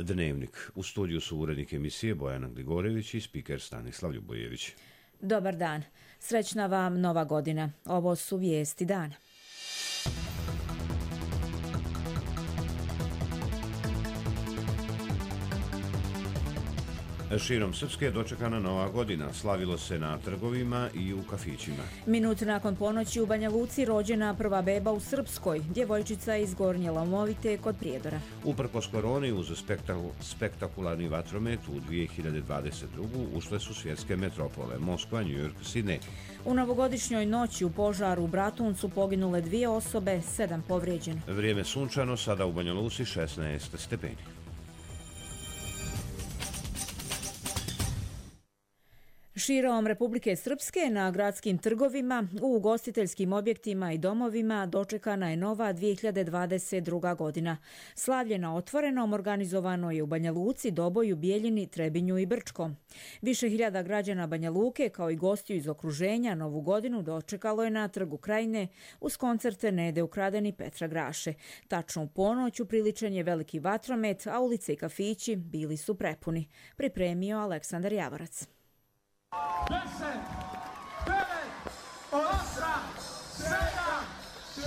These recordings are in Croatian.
Dnevnik. U studiju su urednik emisije Bojana Gligorević i spiker Stanislav Ljubojević. Dobar dan. Srećna vam Nova godina. Ovo su vijesti dana. Širom Srpske je dočekana Nova godina. Slavilo se na trgovima i u kafićima. Minut nakon ponoći u Banja Luci rođena prva beba u Srpskoj. Djevojčica iz Gornje Lamovite kod Prijedora. Uprkos koroni uz spektakularni vatromet u 2022. ušle su svjetske metropole Moskva, New York, Sidney. U novogodišnjoj noći u požaru u Bratuncu poginule 2 osobe, 7 povrijeđeno. Vrijeme sunčano, sada u Banja Luci 16 stepeni. Širom Republike Srpske na gradskim trgovima, u ugostiteljskim objektima i domovima dočekana je nova 2022. godina. Slavlje na otvorenom organizovano je u Banja Luci, Doboju, Bijeljini, Trebinju i Brčkom. Više hiljada građana Banja Luke kao i gostiju iz okruženja Novu godinu dočekalo je na Trgu Krajine uz koncerte Nede Ukraden i Petra Graše. Tačno u ponoć upriličen je veliki vatromet, a ulice i kafići bili su prepuni. Pripremio Aleksandar Javorac. 10, 9, 8, 7, 6, 5,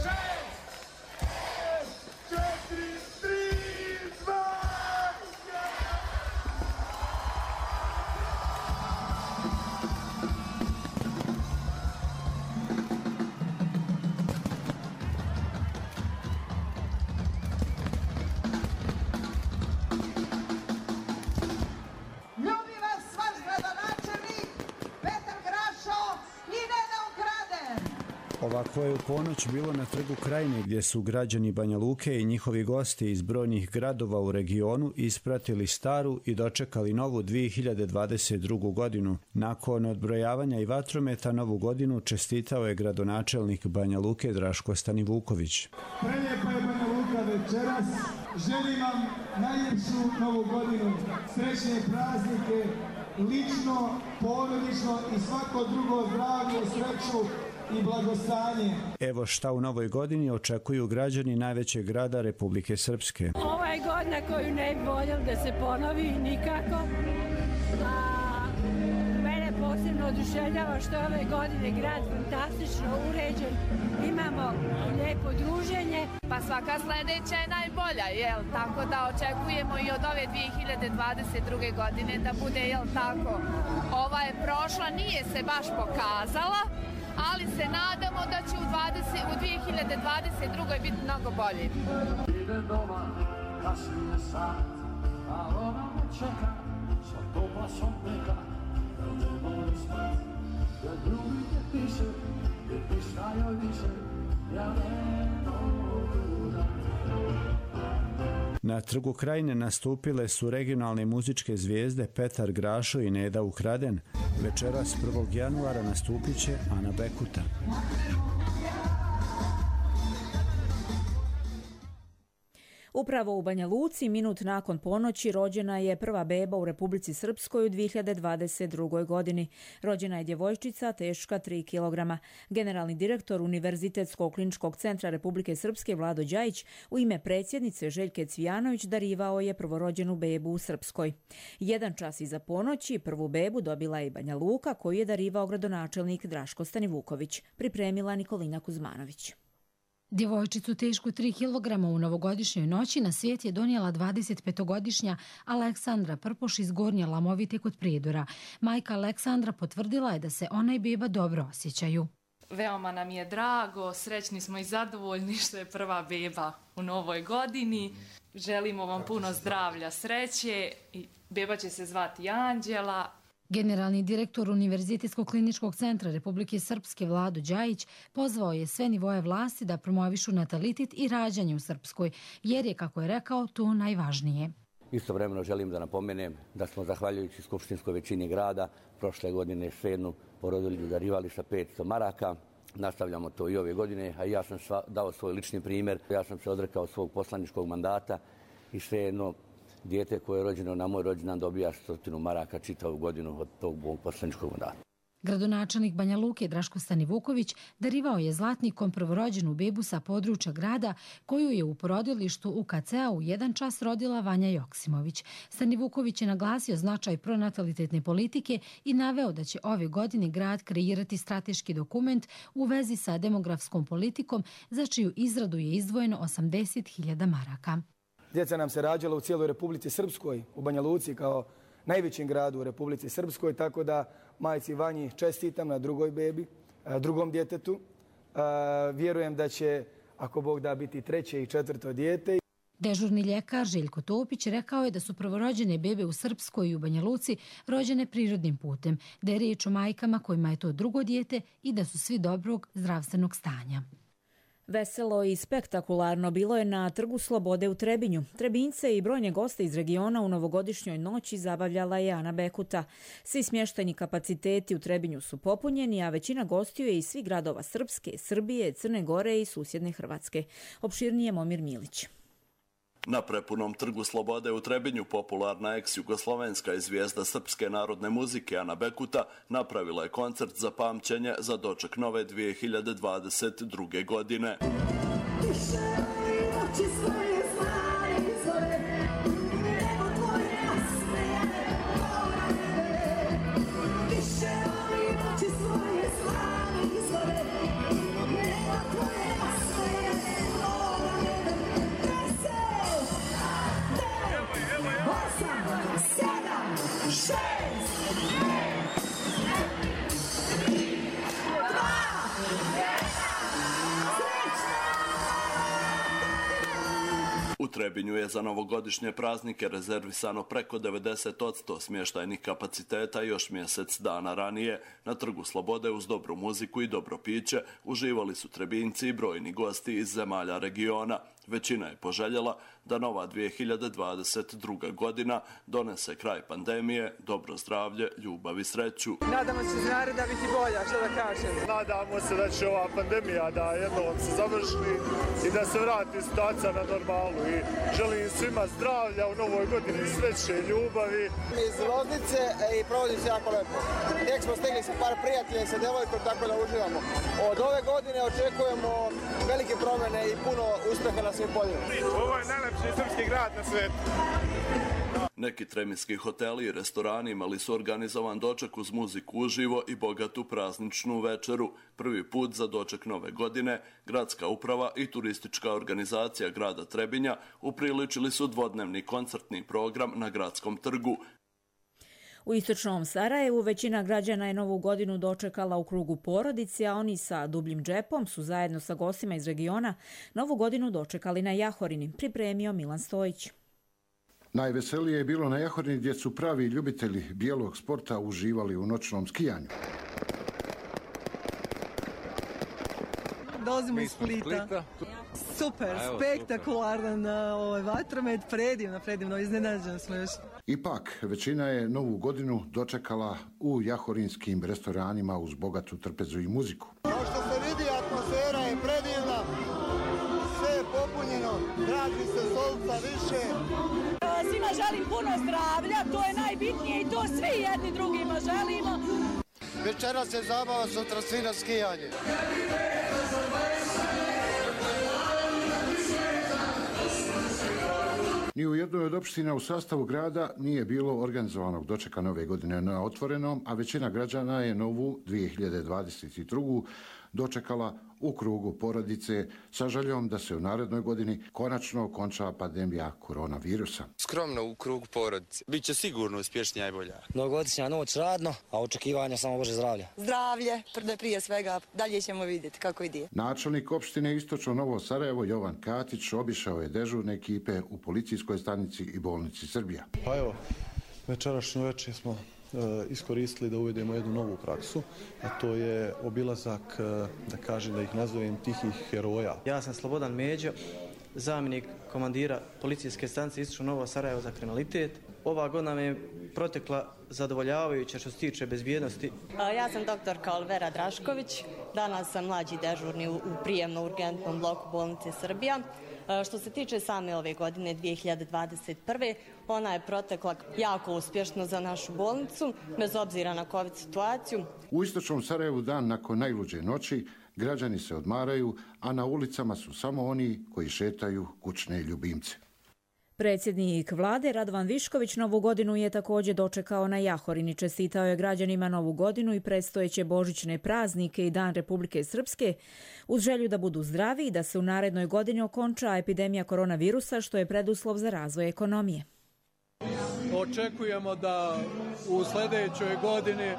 4, 3, 2, 1. Ovako je u ponoć bilo na Trgu Krajine, gdje su građani Banja Luke i njihovi gosti iz brojnih gradova u regionu ispratili staru i dočekali novu 2022. godinu. Nakon odbrojavanja i vatrometa Novu godinu čestitao je gradonačelnik Banja Luke Draško Stanivuković. Prelijepa je Banja Luka večeras. Želim vam najljepšu Novu godinu, srećne praznike, lično, porodično i svako drugo zdravlje, sreću i blagostanje. Evo šta u novoj godini očekuju građani najvećeg grada Republike Srpske. Ova je godina koju ne bi voljeli da se ponovi nikako. Mene posebno oduševljava što je ove godine grad fantastično uređen. Imamo lijepo druženje. Pa svaka sljedeća je najbolja, jel? Tako da očekujemo i od ove 2022. godine da bude, jel tako? Ova je prošla, nije se baš pokazala, ali se nadamo da će u 2022. biti mnogo bolje. Ide doma, kasnije sat, a ona me čeka, sa toplasom neka, da ne boli smrt, da drugi te piše, jer pišta joj više, ja ne mogu da. Na Trgu Krajine nastupile su regionalne muzičke zvijezde Petar Grašo i Neda Ukraden. Večeras 1. januara nastupit će Ana Bekuta. Upravo u Banja Luci, minut nakon ponoći, rođena je prva beba u Republici Srpskoj u 2022. godini. Rođena je djevojčica teška 3 kg. Generalni direktor Univerzitetskog kliničkog centra Republike Srpske Vlado Đajić u ime predsjednice Željke Cvijanović darivao je prvorođenu bebu u Srpskoj. 1 čas iza ponoći prvu bebu dobila je i Banja Luka, koju je darivao gradonačelnik Draško Stanivuković. Pripremila Nikolina Kuzmanović. Djevojčicu tešku 3 kg u novogodišnjoj noći na svijet je donijela 25-godišnja Aleksandra Prpoš iz Gornje Lamovite kod Prijedora. Majka Aleksandra potvrdila je da se ona i beba dobro osjećaju. Veoma nam je drago, srećni smo i zadovoljni što je prva beba u novoj godini. Želimo vam puno zdravlja, sreće i beba će se zvati Anđela. Generalni direktor Univerzitetskog kliničkog centra Republike Srpske Vlado Đajić pozvao je sve nivoje vlasti da promovišu natalitet i rađanje u Srpskoj, jer je, kako je rekao, to najvažnije. Istovremeno želim da napomenem da smo, zahvaljujući skupštinskoj većini grada, prošle godine svejedno porodilju darivali sa 500 maraka. Nastavljamo to i ove godine, a ja sam dao svoj lični primjer. Ja sam se odrekao svog poslaničkog mandata i svejedno dijete koje je rođeno na moj rođendan dobija 100 maraka čitavu godinu od tog mog poslaničkog mandata. Gradonačelnik Banja Luke Draško Stanivuković darivao je zlatnikom prvorođenu bebu sa područja grada koju je u porodilištu UKC-a u 1 čas rodila Vanja Joksimović. Stanivuković je naglasio značaj pronatalitetne politike i naveo da će ove godine grad kreirati strateški dokument u vezi sa demografskom politikom za čiju izradu je izdvojeno 80.000 maraka. Djeca nam se rađala u cijeloj Republici Srpskoj, u Banja Luci kao najvećem gradu u Republici Srpskoj, tako da majci Vanji čestitam na drugoj bebi, drugom djetetu. Vjerujem da će, ako Bog da, biti 3. i 4. dijete. Dežurni ljekar Željko Topić rekao je da su prvorođene bebe u Srpskoj i u Banja Luci rođene prirodnim putem, da je riječ o majkama kojima je to drugo dijete i da su svi dobrog zdravstvenog stanja. Veselo i spektakularno bilo je na Trgu Slobode u Trebinju. Trebinjce i brojne goste iz regiona u novogodišnjoj noći zabavljala je Ana Bekuta. Svi smještajni kapaciteti u Trebinju su popunjeni, a većina gostiju je iz svih gradova Srpske, Srbije, Crne Gore i susjedne Hrvatske. Opširnije Momir Milić. Na prepunom Trgu Slobode u Trebinju popularna ex-jugoslovenska i zvijezda srpske narodne muzike Ana Bekuta napravila je koncert za pamćenje za doček nove 2022. godine. U Trebinju je za novogodišnje praznike rezervisano preko 90% smještajnih kapaciteta i još mjesec dana ranije. Na Trgu Slobode uz dobru muziku i dobro piće uživali su Trebinjci i brojni gosti iz zemalja regiona. Većina je poželjela da nova 2022. godina donese kraj pandemije, dobro zdravlje, ljubav i sreću. Nadamo se za naredna biti bolja, što da kažem. Nadamo se da će ova pandemija da jednom se završi i da se vrati situacija na normalu. I želim svima zdravlja u novoj godini, sreće, ljubavi. Mi iz Loznice i provodim se jako lepo. Tek smo stigli sa par prijatelja i sa devojkom, tako da uživamo. Od ove godine očekujemo velike promjene i puno uspjeha na svim poljima. Ovo je najlepši srpski grad na svijetu. Neki treminski hoteli i restorani imali su organizovan doček uz muziku uživo i bogatu prazničnu večeru. Prvi put za doček nove godine gradska uprava i turistička organizacija grada Trebinja upriličili su dvodnevni koncertni program na gradskom trgu. U istočnom Sarajevu većina građana je novu godinu dočekala u krugu porodici, a oni sa dubljim džepom su zajedno sa gostima iz regiona novu godinu dočekali na Jahorini, pripremio Milan Stojić. Najveselije je bilo na Jahorini gdje su pravi ljubitelji bijelog sporta uživali u noćnom skijanju. Dolazimo iz Splita. Super, spektakularan vatromet, predivno, iznenađeni smo još. Ipak, većina je novu godinu dočekala u jahorinskim restoranima uz bogatu trpezu i muziku. Kao što se vidi, atmosfera je predivna, sve je popunjeno, traži se stolica više. Svima želim puno zdravlja, to je najbitnije i to svi jedni drugima želimo. Večeras se zabava, sutra svi na skijanje. Ni u jednoj od opština u sastavu grada nije bilo organizovanog dočeka nove godine na otvorenom, a većina građana je novu 2022. dočekala u krugu porodice sa željom da se u narednoj godini konačno okonča pandemija koronavirusa. Skromno u krugu porodice. Biće sigurno uspješnija i bolja. Novogodišnja noć radno, a očekivanja samo Bože zdravlja. Zdravlje, prije svega, dalje ćemo vidjeti kako ide. Načelnik opštine Istočno Novo Sarajevo Jovan Katić obišao je dežurne ekipe u policijskoj stanici i bolnici Srbija. Pa evo, večerašnju večer smo iskoristili da uvedemo jednu novu praksu, a to je obilazak, da ih nazovem, tihih heroja. Ja sam Slobodan Međo, zamjenik komandira policijske stanice Istočno Novo Sarajevo za kriminalitet. Ova godina me je protekla zadovoljavajuće što se tiče bezbjednosti. Ja sam doktorka Olivera Drašković, danas sam mlađi dežurni u prijemno-urgentnom bloku bolnice Srbija. Što se tiče same ove godine 2021. ona je protekla jako uspješno za našu bolnicu, bez obzira na COVID situaciju. U istočnom Sarajevu dan nakon najluđe noći građani se odmaraju, a na ulicama su samo oni koji šetaju kućne ljubimce. Predsjednik vlade Radovan Višković Novu godinu je također dočekao na Jahorini. Čestitao je građanima Novu godinu i predstojeće božićne praznike i Dan Republike Srpske uz želju da budu zdravi i da se u narednoj godini okonča epidemija koronavirusa, što je preduslov za razvoj ekonomije. Očekujemo da u sljedećoj godini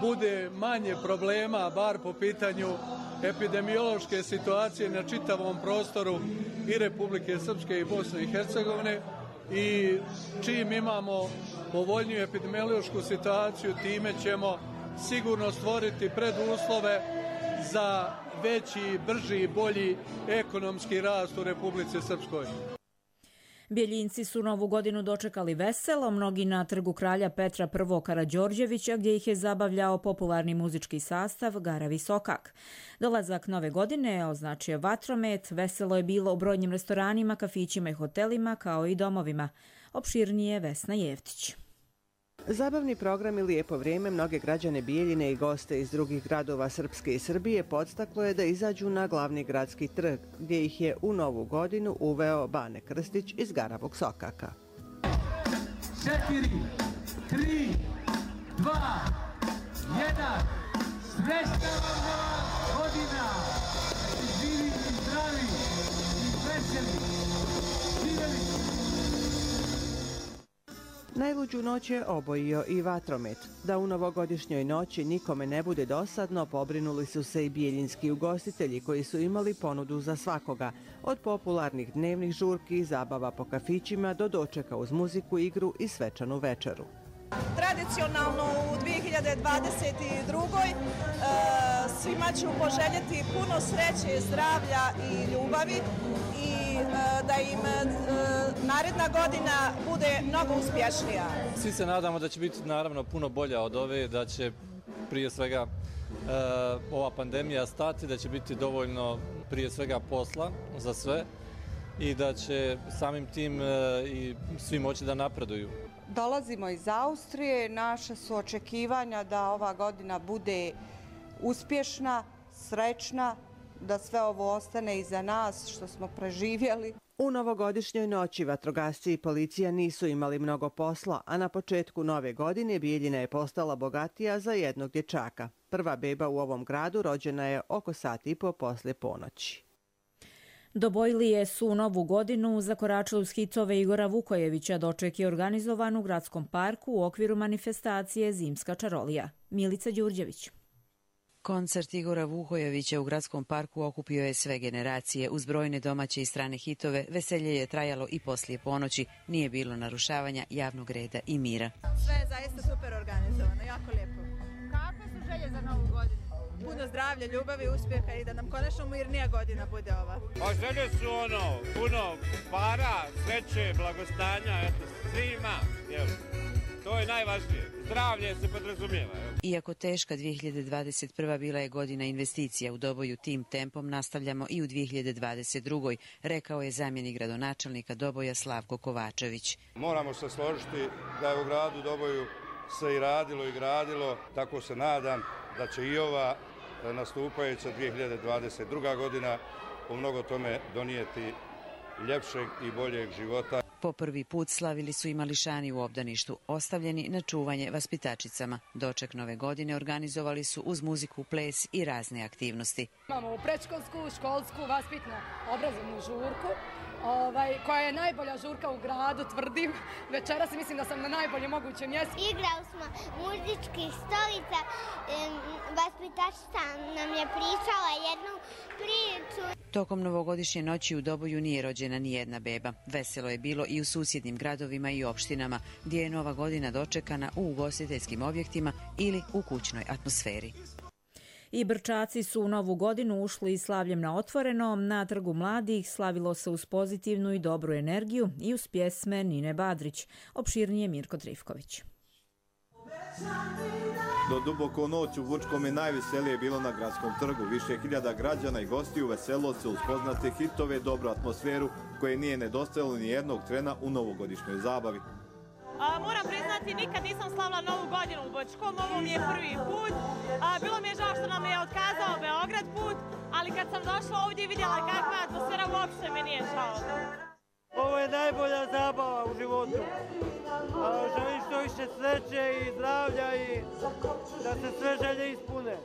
bude manje problema, bar po pitanju epidemiološke situacije na čitavom prostoru i Republike Srpske i Bosne i Hercegovine, i čim imamo povoljniju epidemiološku situaciju, time ćemo sigurno stvoriti preduslove za veći, brži i bolji ekonomski rast u Republici Srpskoj. Bjeljinci su Novu godinu dočekali veselo, mnogi na trgu kralja Petra I. Karađorđevića, gdje ih je zabavljao popularni muzički sastav Garavi Sokak. Dolazak Nove godine označio vatromet, veselo je bilo u brojnim restoranima, kafićima i hotelima, kao i domovima. Opširnije Vesna Jevtić. Zabavni program i lijepo vrijeme mnoge građane Bijeljine i goste iz drugih gradova Srpske i Srbije podstaklo je da izađu na glavni gradski trg, gdje ih je u Novu godinu uveo Bane Krstić iz Garavog Sokaka. 4, 3, 2, 1, srećna vam nova godina! Živi i zdravi i veseli! Živjeli! Najluđu noć je obojio i vatromet. Da u novogodišnjoj noći nikome ne bude dosadno, pobrinuli su se i bijeljinski ugostitelji koji su imali ponudu za svakoga. Od popularnih dnevnih žurki i zabava po kafićima do dočeka uz muziku, igru i svečanu večeru. Tradicionalno u 2022. Svima ću poželjeti puno sreće, zdravlja i ljubavi i da im naredna godina bude mnogo uspješnija. Svi se nadamo da će biti naravno puno bolja od ove, da će prije svega ova pandemija stati, da će biti dovoljno prije svega posla za sve i da će samim tim i svi moći da napreduju. Dolazimo iz Austrije, naša su očekivanja da ova godina bude uspješna, srećna, da sve ovo ostane iza nas što smo preživjeli. U novogodišnjoj noći vatrogasci i policija nisu imali mnogo posla, a na početku nove godine Bijeljina je postala bogatija za jednog dječaka. Prva beba u ovom gradu rođena je oko sat i po poslije ponoći. Dobojlije su u Novu godinu zakoračili uz hitove Igora Vukojevića. Doček je organizovan u Gradskom parku u okviru manifestacije Zimska čarolija. Milica Đurđević. Koncert Igora Vukojevića u Gradskom parku okupio je sve generacije. Uz brojne domaće i strane hitove, veselje je trajalo i poslije ponoći. Nije bilo narušavanja javnog reda i mira. Sve je zaista super organizovano, jako lijepo. Kakve su želje za Novu godinu? Puno zdravlja, ljubavi, uspjeha i da nam konačno mirnija godina bude ova. Pa želje su puno para, sreće, blagostanja, svima, jel? To je najvažnije. Zdravlje se podrazumijeva. Iako teška 2021. bila je godina investicija u Doboju, tim tempom nastavljamo i u 2022. rekao je zamjenik gradonačelnika Doboja Slavko Kovačević. Moramo se složiti da je u gradu Doboju se i radilo i gradilo, tako se nadam da će i ova nastupajuća 2022. godina u mnogo tome donijeti ljepšeg i boljeg života. Po prvi put slavili su i mališani u obdaništu, ostavljeni na čuvanje vaspitačicama. Doček Nove godine organizovali su uz muziku, ples i razne aktivnosti. Imamo predškolsku, školsku, vaspitnu, obrazovnu žurku, koja je najbolja žurka u gradu, tvrdim. Večeras mislim da sam na najbolje mogućem mjestu. Igrali smo muzičkih stolica, vaspitačica nam je pričala jednu priču. Tokom novogodišnje noći u Doboju nije rođena ni jedna beba. Veselo je bilo i u susjednim gradovima i opštinama, gdje je Nova godina dočekana u ugostiteljskim objektima ili u kućnoj atmosferi. I Brčaci su u Novu godinu ušli slavljem na otvorenom. Na Trgu mladih slavilo se uz pozitivnu i dobru energiju i uz pjesme Nine Badrić. Opširnije Mirko Trifković. Do duboko u noć u Vučkom je najveselije bilo na gradskom trgu. Više hiljada građana i gostiju veselilo se uz poznate hitove, dobru atmosferu koje nije nedostajalo ni jednog trena u novogodišnjoj zabavi. Moram priznati, nikad nisam slavila Novu godinu u Bočkom, ovo mi je prvi put. Bilo mi je žao što nam je otkazao Beograd put, ali kad sam došla ovdje i vidjela kakva je atmosfera, uopšte mi nije žao. Ovo je najbolja zabava u životu. Želim što više sreće i zdravlja i da se sve želje ispune.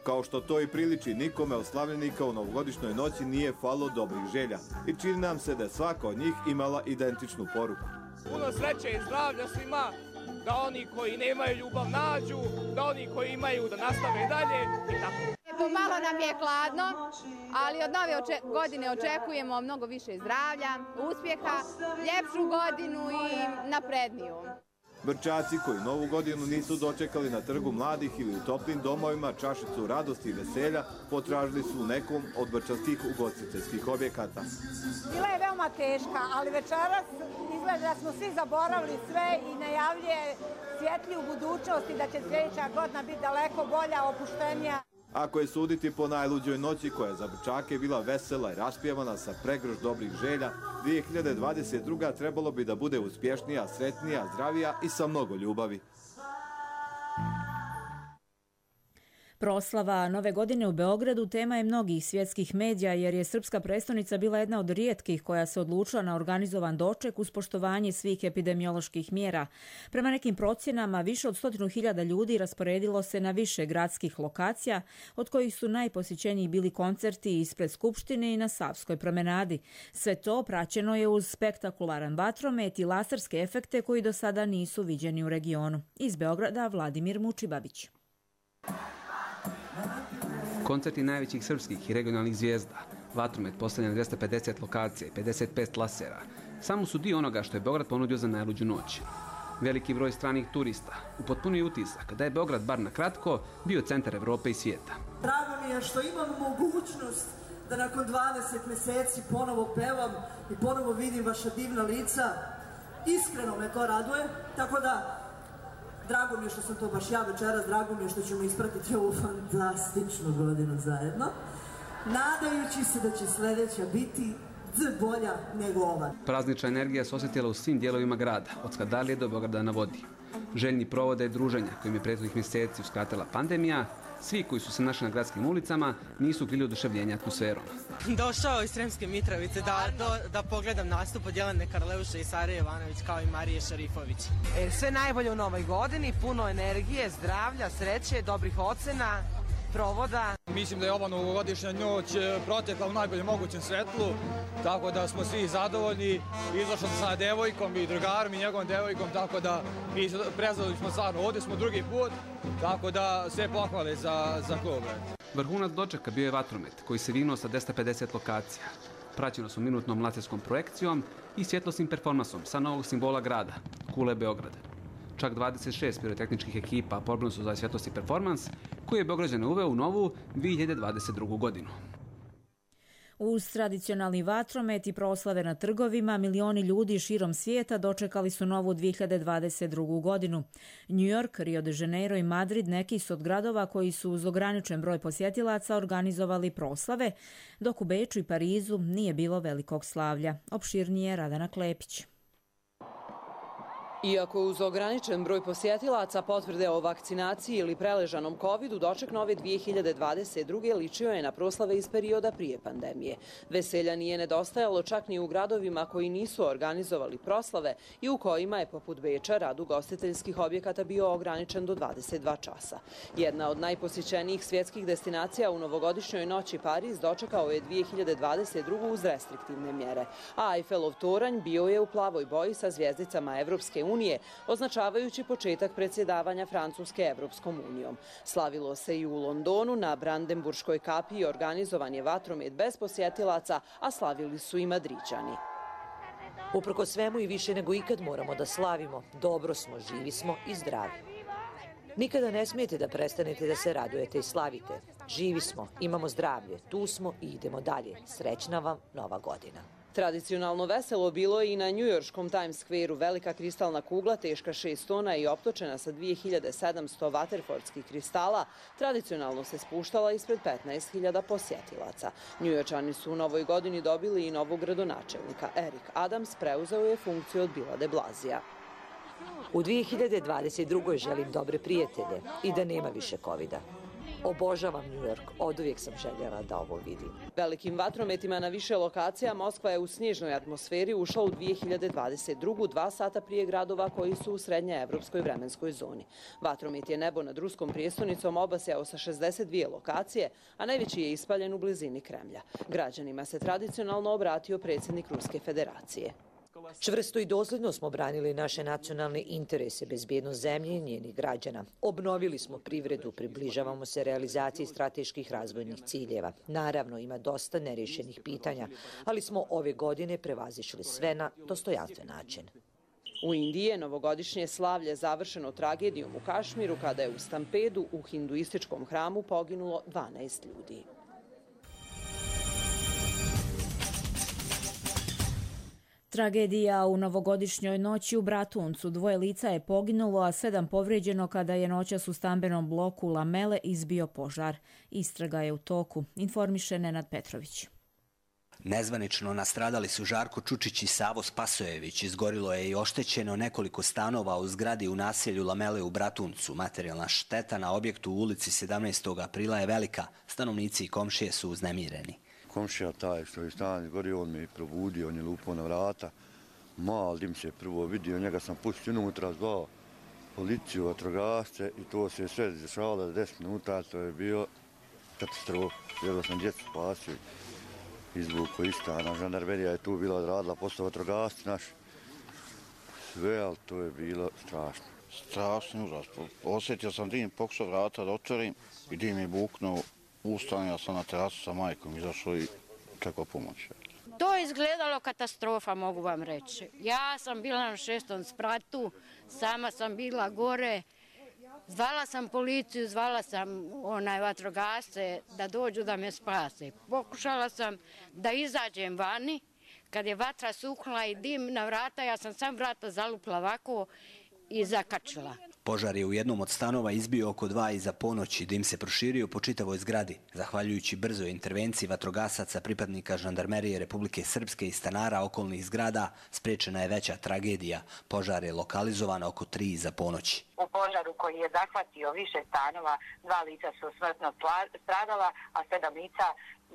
Kao što to i priliči, nikome od slavljenika u novogodišnjoj noći nije falilo dobrih želja i čini nam se da je svaka od njih imala identičnu poruku. Puno sreće i zdravlja svima, da oni koji nemaju ljubav nađu, da oni koji imaju da nastave dalje i tako. Pomalo nam je hladno, ali od nove godine očekujemo mnogo više zdravlja, uspjeha, ljepšu godinu i napredniju. Brčaci koji Novu godinu nisu dočekali na trgu mladih ili u toplim domovima čašicu radosti i veselja potražili su u nekom od brčanskih ugostiteljskih objekata. Bila je veoma teška, ali večeras izgleda da smo svi zaboravili sve i najavljuje svjetliju budućnost i da će sljedeća godina biti daleko bolja, opuštenija. Ako je suditi po najluđoj noći koja je za Brčake bila vesela i raspjevana sa pregršt dobrih želja, 2022. trebalo bi da bude uspješnija, sretnija, zdravija i sa mnogo ljubavi. Proslava Nove godine u Beogradu tema je mnogih svjetskih medija jer je srpska prestolnica bila jedna od rijetkih koja se odlučila na organizovan doček uz poštovanje svih epidemioloških mjera. Prema nekim procjenama više od 100.000 ljudi rasporedilo se na više gradskih lokacija, od kojih su najposjećeniji bili koncerti ispred Skupštine i na Savskoj promenadi. Sve to praćeno je uz spektakularan vatromet i laserske efekte koji do sada nisu viđeni u regionu. Iz Beograda Vladimir Mučibavić. Koncerti najvećih srpskih i regionalnih zvijezda, vatromet postavljen na 250 lokacija i 55 lasera, samo su dio onoga što je Beograd ponudio za najluđu noć. Veliki broj stranih turista upotpunio utisak da je Beograd bar na kratko bio centar Evrope i svijeta. Drago mi je što imam mogućnost da nakon 20 mjeseci ponovo pevam i ponovo vidim vaša divna lica. Iskreno me to raduje, tako da drago mi je što sam to baš ja večeras, drago mi je što ćemo ispratiti ovu fantastičnu godinu zajedno, nadajući se da će sljedeća biti bolja nego ova. Praznična energija se osjetila u svim dijelovima grada, od Skadalije do Beograda na vodi. Željni provode i druženja kojim je prethodnih mjeseci uskratila pandemija, svi koji su se našli na gradskim ulicama nisu krili oduševljenja atmosferom. Došao iz Sremske Mitrovice da pogledam nastup od Jelene Karleuše i Sare Jovanović kao i Marije Šarifović. Sve najbolje u novoj godini, puno energije, zdravlja, sreće, dobrih ocena, provoda. Mislim da je ova novogodišnja noć protekla u najboljem mogućem svetlu, tako da smo svi zadovoljni. Izašao sam sa devojkom i drugarom i njegovom devojkom, tako da prezadovljni smo stvarno. Ovdje smo drugi put, tako da sve pohvale za klub. Vrhunac dočeka bio je vatromet koji se vinuo sa 250 lokacija. Praćeno su minutnom laserskom projekcijom i svjetlosnim performansom sa novog simbola grada, kule Beograda. Čak 26 pirotehničkih ekipa pobrojano su za svjetlosni performans koji je Beograđane uveo u novu 2022. godinu. Uz tradicionalni vatromet i proslave na trgovima, milioni ljudi širom svijeta dočekali su novu 2022. godinu. New York, Rio de Janeiro i Madrid neki su od gradova koji su uz ograničen broj posjetilaca organizovali proslave, dok u Beču i Parizu nije bilo velikog slavlja. Opširnije Radana Klepić. Iako uz ograničen broj posjetilaca, potvrde o vakcinaciji ili preležanom covidu, doček nove 2022. ličio je na proslave iz perioda prije pandemije. Veselja nije nedostajalo čak ni u gradovima koji nisu organizovali proslave i u kojima je, poput Beča, rad ugostiteljskih objekata bio ograničen do 22 časa. Jedna od najposjećenijih svjetskih destinacija u novogodišnjoj noći Pariz dočekao je 2022. uz restriktivne mjere, a Eiffelov toranj bio je u plavoj boji sa zvijezdicama Evropske unije, označavajući početak predsjedavanja Francuske Evropskom unijom. Slavilo se i u Londonu, na Brandenburškoj kapiji organizovan je vatromet bez posjetilaca, a slavili su i Madriđani. Uprkos svemu i više nego ikad moramo da slavimo. Dobro smo, živi smo i zdravi. Nikada ne smijete da prestanete da se radujete i slavite. Živi smo, imamo zdravlje, tu smo i idemo dalje. Srećna vam nova godina. Tradicionalno veselo bilo je i na njujorškom Times Square-u. Velika kristalna kugla teška 6 tona i optočena sa 2700 vaterfordskih kristala tradicionalno se spuštala ispred 15.000 posjetilaca. Njujorčani su u novoj godini dobili i novog gradonačelnika. Eric Adams preuzeo je funkciju od Billa de Blasija. U 2022. želim dobre prijatelje i da nema više covida. Obožavam New York, oduvijek sam željela da ovo vidim. Velikim vatrometima na više lokacija Moskva je u snježnoj atmosferi ušla u 2022. 2 sata prije gradova koji su u srednjeevropskoj vremenskoj zoni. Vatromet je nebo nad ruskom prijestonicom obasjao sa 62 lokacije, a najveći je ispaljen u blizini Kremlja. Građanima se tradicionalno obratio predsjednik Ruske federacije. Čvrsto i dosljedno smo branili naše nacionalne interese, bezbjednost zemlje i njenih građana. Obnovili smo privredu, približavamo se realizaciji strateških razvojnih ciljeva. Naravno, ima dosta nerješenih pitanja, ali smo ove godine prevazišli sve na dostojanstven način. U Indiji je novogodišnje slavlje završeno tragedijom u Kašmiru kada je u stampedu u hinduističkom hramu poginulo 12 ljudi. Tragedija u novogodišnjoj noći u Bratuncu. 2 lica je poginulo, a 7 povrijeđeno kada je noćas u stambenom bloku Lamele izbio požar. Istraga je u toku, informiše Nenad Petrović. Nezvanično nastradali su Žarko Čučić i Savo Spasojević. Izgorilo je i oštećeno nekoliko stanova u zgradi u naselju Lamele u Bratuncu. Materijalna šteta na objektu u ulici 17. aprila je velika. Stanovnici i komšije su uznemireni. Komšija taj što je stan izgorio, on me je probudio, on je lupao na vrata. Mal dim se prvo vidio, njega sam pustio unutra, zvao policiju, vatrogasce i to se sve dešavalo za 10 minuta, to je bio katastrofa. Jedva sam djecu spasio, izvuko iz stana, žandarmerija je tu bila odradila, posle vatrogasci naši. Sve, ali to je bilo strašno. Strašno užas. Osjetio sam dim, pokušao vrata da otvorim i dim je buknuo. Ustanio sam na terasu sa majkom, izašao i čekao pomoć. To je izgledalo katastrofa, mogu vam reći. Ja sam bila na 6. spratu, sama sam bila gore. Zvala sam policiju, zvala sam vatrogasce da dođu da me spase. Pokušala sam da izađem vani. Kad je vatra suknula i dim na vrata, ja sam sam vrata zalupla ovako i zakačila. Požar je u jednom od stanova izbio oko 2 iza ponoći, dim se proširio po čitavoj zgradi. Zahvaljujući brzoj intervenciji vatrogasaca, pripadnika žandarmerije Republike Srpske i stanara okolnih zgrada, spriječena je veća tragedija. Požar je lokalizovan oko 3 iza ponoći. U požaru koji je zahvatio više stanova, 2 lica su smrtno stradala, a 7 lica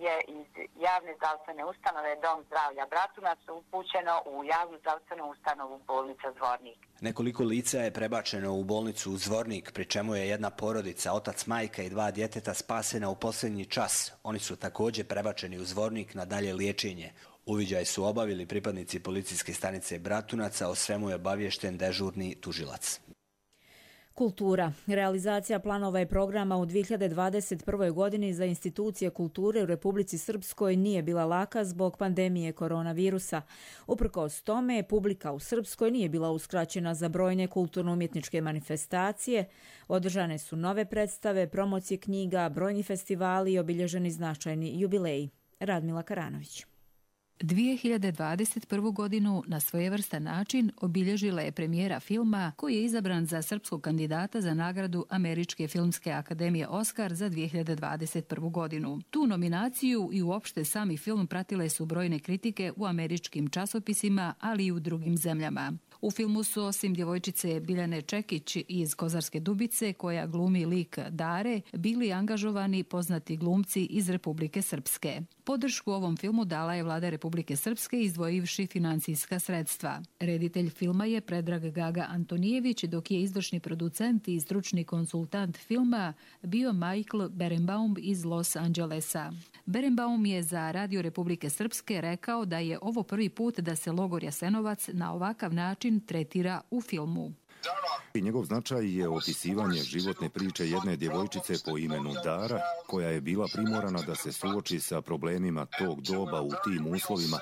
je iz javne zdravstvene ustanove Dom zdravlja Bratunac upućeno u javnu zdravstvenu ustanovu bolnica Zvornik. Nekoliko lica je prebačeno u bolnicu u Zvornik, pri čemu je jedna porodica, otac, majka i 2 djeteta spasena u posljednji čas. Oni su također prebačeni u Zvornik na dalje liječenje. Uviđaj su obavili pripadnici policijske stanice Bratunaca, o svemu je obaviješten dežurni tužilac. Kultura. Realizacija planova i programa u 2021. godini za institucije kulture u Republici Srpskoj nije bila laka zbog pandemije koronavirusa. Uprkos tome, publika u Srpskoj nije bila uskraćena za brojne kulturno-umjetničke manifestacije. Održane su nove predstave, promocije knjiga, brojni festivali i obilježeni značajni jubileji. Radmila Karanović. 2021. godinu na svojevrstan način obilježila je premijera filma koji je izabran za srpskog kandidata za nagradu Američke filmske akademije Oskar za 2021. godinu. Tu nominaciju i uopšte sami film pratile su brojne kritike u američkim časopisima, ali i u drugim zemljama. U filmu su osim djevojčice Biljane Čekić iz Kozarske Dubice, koja glumi lik Dare, bili angažovani poznati glumci iz Republike Srpske. Podršku ovom filmu dala je vlada Republike Srpske izdvojivši financijska sredstva. Reditelj filma je Predrag Gaga Antonijević, dok je izvršni producent i stručni konsultant filma bio Michael Berenbaum iz Los Angelesa. Berenbaum je za Radio Republike Srpske rekao da je ovo prvi put da se logor Jasenovac na ovakav način tretira u filmu. I njegov značaj je opisivanje životne priče jedne djevojčice po imenu Dara, koja je bila primorana da se suoči sa problemima tog doba u tim uslovima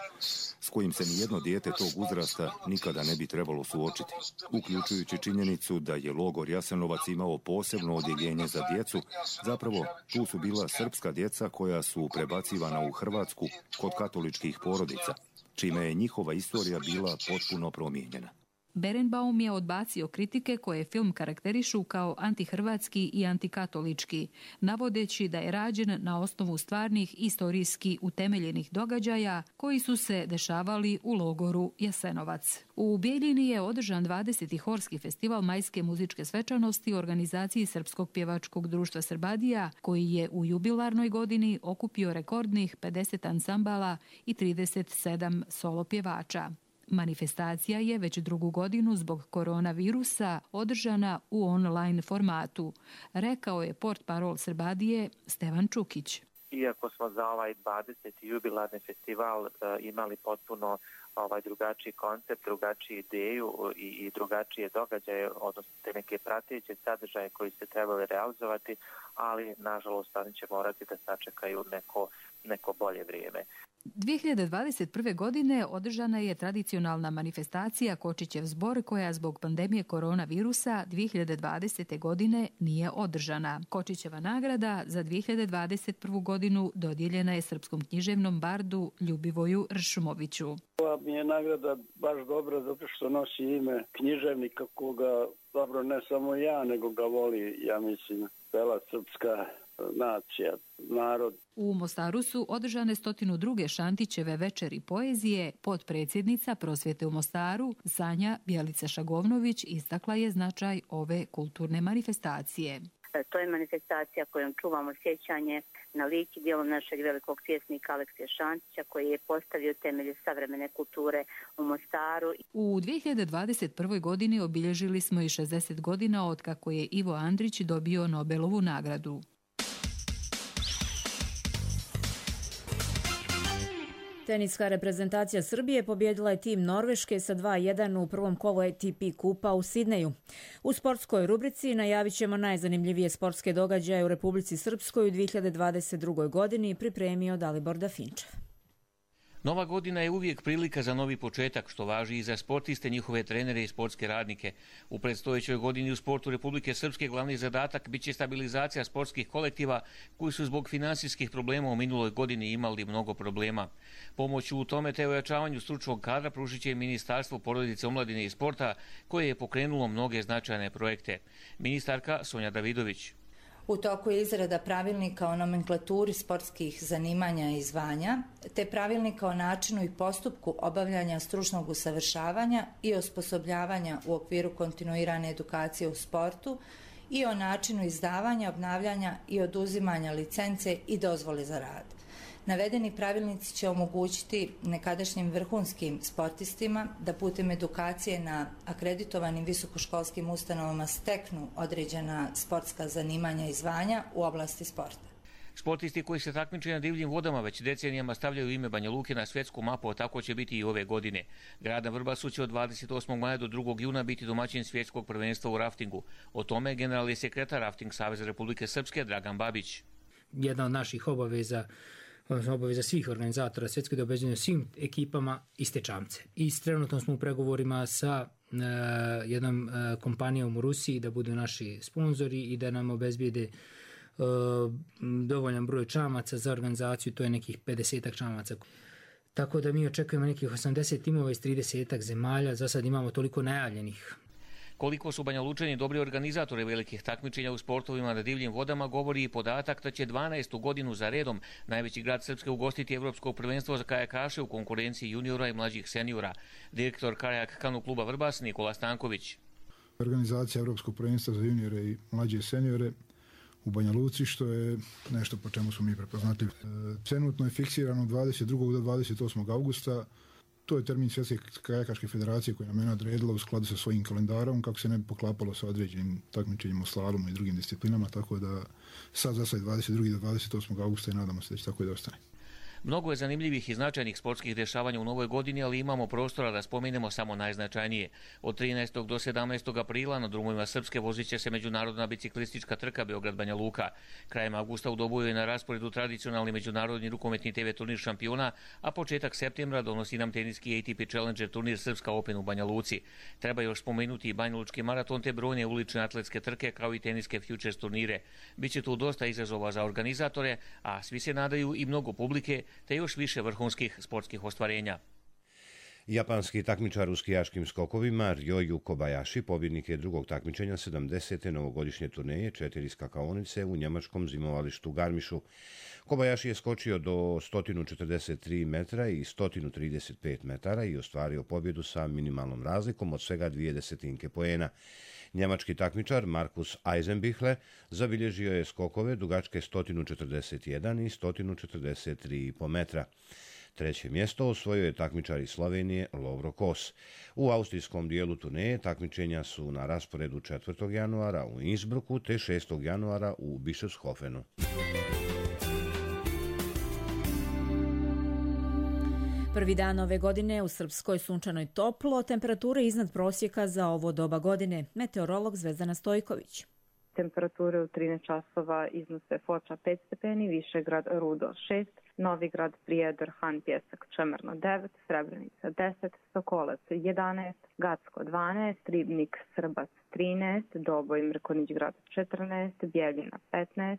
s kojim se nijedno dijete tog uzrasta nikada ne bi trebalo suočiti. Uključujući činjenicu da je logor Jasenovac imao posebno odjeljenje za djecu, zapravo tu su bila srpska djeca koja su prebacivana u Hrvatsku kod katoličkih porodica. čime je njihova istorija bila potpuno promijenjena. Berenbaum je odbacio kritike koje film karakterišu kao antihrvatski i antikatolički, navodeći da je rađen na osnovu stvarnih istorijski utemeljenih događaja koji su se dešavali u logoru Jasenovac. U Bijeljini je održan 20. horski festival majske muzičke svečanosti u organizaciji Srpskog pjevačkog društva Srbadija, koji je u jubilarnoj godini okupio rekordnih 50 ansambala i 37 solo pjevača. Manifestacija je već drugu godinu zbog koronavirusa održana u online formatu, rekao je portparol Srbadije Stevan Čukić. Iako smo za ovaj 20. jubilarni festival imali potpuno drugačiji koncept, drugačiju ideju i drugačije događaje, odnosno te neke prateće sadržaje koji se trebali realizovati, ali nažalost oni će morati da sačekaju neko bolje vrijeme. 2021. godine održana je tradicionalna manifestacija Kočićev zbor koja zbog pandemije koronavirusa 2020. godine nije održana. Kočićeva nagrada za 2021. godinu dodijeljena je srpskom književnom bardu Ljubivoju Ršumoviću. Ova mi je nagrada baš dobra zato što nosi ime književnika koga, dobro, ne samo ja, nego ga voli, ja mislim, cela srpska nacija, narod. U Mostaru su održane 102. Šantićeve večeri poezije. Potpredsjednica Prosvjete u Mostaru, Sanja Bjelica-Šagovnović, istakla je značaj ove kulturne manifestacije. To je manifestacija kojom čuvamo sjećanje na lik i djelo našeg velikog pjesnika Aleksija Šantića, koji je postavio temelje savremene kulture u Mostaru. U 2021. godini obilježili smo i 60 godina od kako je Ivo Andrić dobio Nobelovu nagradu. Teniska reprezentacija Srbije pobjedila je tim Norveške sa 2:1 u prvom kolu ATP kupa u Sidneju. U sportskoj rubrici najavit ćemo najzanimljivije sportske događaje u Republici Srpskoj u 2022. godini, pripremio Dalibor Dafinčev. Nova godina je uvijek prilika za novi početak, što važi i za sportiste, njihove trenere i sportske radnike. U predstojećoj godini u sportu Republike Srpske glavni zadatak biće stabilizacija sportskih kolektiva koji su zbog finansijskih problema u minuloj godini imali mnogo problema. Pomoć u tome te ojačavanju stručnog kadra pružit će Ministarstvo porodice, omladine i sporta, koje je pokrenulo mnoge značajne projekte. Ministarka Sonja Davidović. U toku je izrada pravilnika o nomenklaturi sportskih zanimanja i zvanja, te pravilnika o načinu i postupku obavljanja stručnog usavršavanja i osposobljavanja u okviru kontinuirane edukacije u sportu i o načinu izdavanja, obnavljanja i oduzimanja licence i dozvole za rad. Navedeni pravilnici će omogućiti nekadašnjim vrhunskim sportistima da putem edukacije na akreditovanim visokoškolskim ustanovama steknu određena sportska zanimanja i zvanja u oblasti sporta. Sportisti koji se takmiče na divljim vodama već decenijama stavljaju ime Banja Luke na svjetsku mapu, a tako će biti i ove godine. Grad na Vrbasu će od 28. maja do 2. juna biti domaćin svjetskog prvenstva u raftingu. O tome generalni sekretar Rafting Saveza Republike Srpske Dragan Babić. Jedna od naših obaveza svih organizatora svjetske da obezbedimo svim ekipama iste čamce. I trenutno smo u pregovorima sa jednom kompanijom u Rusiji da budu naši sponzori i da nam obezbijede dovoljan broj čamaca za organizaciju, to je nekih 50 čamaca. Tako da mi očekujemo nekih 80 timova iz 30 zemalja, za sad imamo toliko najavljenih. Koliko su Banja Lučani dobri organizatori velikih takmičenja u sportovima na divljim vodama govori i podatak da će 12. godinu za redom najveći grad Srpske ugostiti Evropsko prvenstvo za kajakaše u konkurenciji juniora i mlađih seniora. Direktor Kajak kanu kluba Vrbas Nikola Stanković. Organizacija Evropskog prvenstva za juniore i mlađe seniore u Banja Luci, što je nešto po čemu smo mi prepoznatljivi. Trenutno je fiksirano 22. do 28. augusta. To je termin Svjetske kajakaške federacije koja nam je odredila u skladu sa svojim kalendarom kako se ne bi poklapalo sa određenim takmičenjima u slalomu i drugim disciplinama, tako da sad za sad 22. do 28. augusta i nadamo se da će tako i da ostane. Mnogo je zanimljivih i značajnih sportskih dešavanja u novoj godini, ali imamo prostora da spomenemo samo najznačajnije. Od 13. do 17. aprila na drumovima Srpske vozit će se međunarodna biciklistička trka Beograd-Banja Luka. Krajem augusta u Doboju je na rasporedu tradicionalni međunarodni rukometni TV turnir šampiona, a početak septembra donosi nam teniski ATP Challenger turnir Srpska Open u Banja Luci. Treba još spomenuti i banjalučki maraton te brojne ulične atletske trke kao i teniske futures turnire. Biće tu dosta izazova za organizatore, a svi se nadaju i mnogo publike te još više vrhunskih sportskih ostvarenja. Japanski takmičar u skijaškim skokovima Ryoyu Kobayashi pobjednik je drugog takmičenja 70. novogodišnje turneje 4 skakaonice u njemačkom zimovalištu Garmišu. Kobayashi je skočio do 143 metra i 135 metara i ostvario pobjedu sa minimalnom razlikom od svega 0,2 poena. Njemački takmičar Markus Eisenbichler zabilježio je skokove dugačke 141 i 143,5 metra. Treće mjesto osvojio je takmičar iz Slovenije Lovro Kos. U austrijskom dijelu turneje takmičenja su na rasporedu 4. januara u Innsbrucku te 6. januara u Bischofshofenu. Prvi dan ove godine u Srpskoj sunčanoj toplo, temperature iznad prosjeka za ovo doba godine. Meteorolog Zvezdana Stojković. Temperature u 13 časova iznose Foča 5 stepeni, Višegrad Rudo 6, Novigrad Prijedor Han Pjesak Čemerno 9, Srebrenica 10, Sokolac 11, Gacko 12, Ribnik Srbac 13, Doboj Mrkonić Grad 14, Bjeljina 15,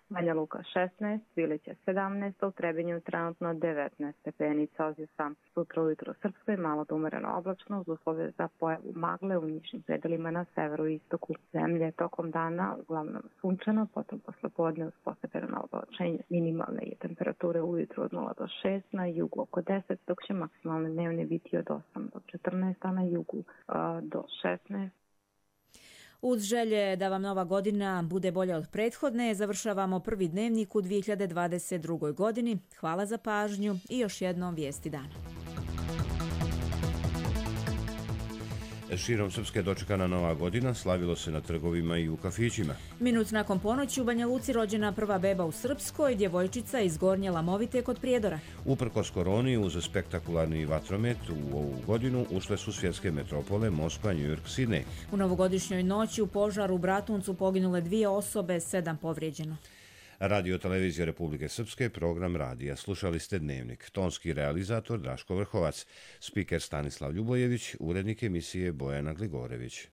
Banja Luka 16, Svilića 17, u Trebinju trenutno 19 stepeni Celzijusa. Sutra ujutro u Srpskoj malo do umereno oblačno uz uslove za pojavu magle u nižim predelima na severu i istoku zemlje. Tokom dana uglavnom sunčano, potom poslepodne uz postepeno oblačenje. Minimalne je temperature ujutro od 0 do 6, na jugu oko 10, dok će maksimalne dnevne biti od 8 do 14, a na jugu do 16. Uz želje da vam nova godina bude bolja od prethodne, završavamo prvi dnevnik u 2022. godini. Hvala za pažnju i još jednom vijesti dana. Širom Srpske dočekana nova godina, slavilo se na trgovima i u kafićima. Minut nakon ponoći u Banja Luci rođena prva beba u Srpskoj, djevojčica iz Gornje Lamovite kod Prijedora. Uprkos koroni, uz spektakularni vatromet u ovu godinu ušle su svjetske metropole Moskva, New York, Sidney. U novogodišnjoj noći u požaru u Bratuncu poginule 2 osobe, 7 povrijeđeno. Radio Televizija Republike Srpske, program radija. Slušali ste Dnevnik. Tonski realizator Draško Vrhovac, spiker Stanislav Ljubojević, urednik emisije Bojana Gligorević.